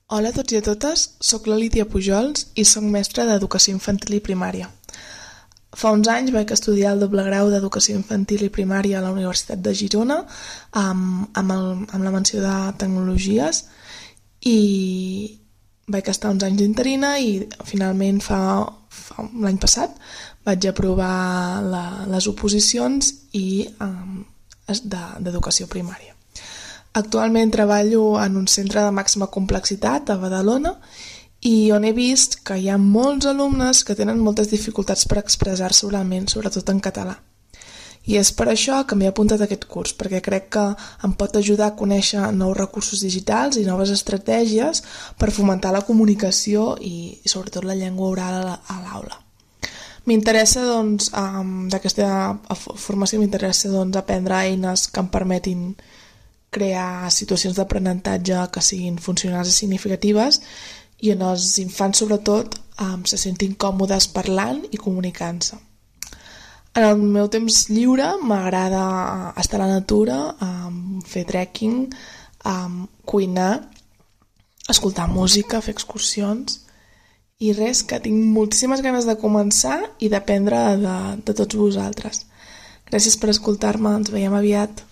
Hola a tots i a totes, soc la Lídia Pujols i soc mestra d'Educació Infantil i Primària. Fa uns anys vaig estudiar el doble grau d'Educació Infantil i Primària a la Universitat de Girona amb la menció de Tecnologies i vaig estar uns anys d'interina i finalment l'any passat vaig aprovar les oposicions d'Educació Primària. Actualment treballo en un centre de màxima complexitat a Badalona i on he vist que hi ha molts alumnes que tenen moltes dificultats per expressar-se oralment, sobretot en català. I és per això que m'he apuntat a aquest curs, perquè crec que em pot ajudar a conèixer nous recursos digitals i noves estratègies per fomentar la comunicació i sobretot la llengua oral a l'aula. M'interessa, d'aquesta formació m'interessa aprendre eines que em permetin crear situacions d'aprenentatge que siguin funcionals i significatives i on els infants, sobretot, se sentin còmodes parlant i comunicant-se. En el meu temps lliure m'agrada estar a la natura, fer trekking, cuinar, escoltar música, fer excursions i res, que tinc moltíssimes ganes de començar i d'aprendre de tots vosaltres. Gràcies per escoltar-me, ens veiem aviat.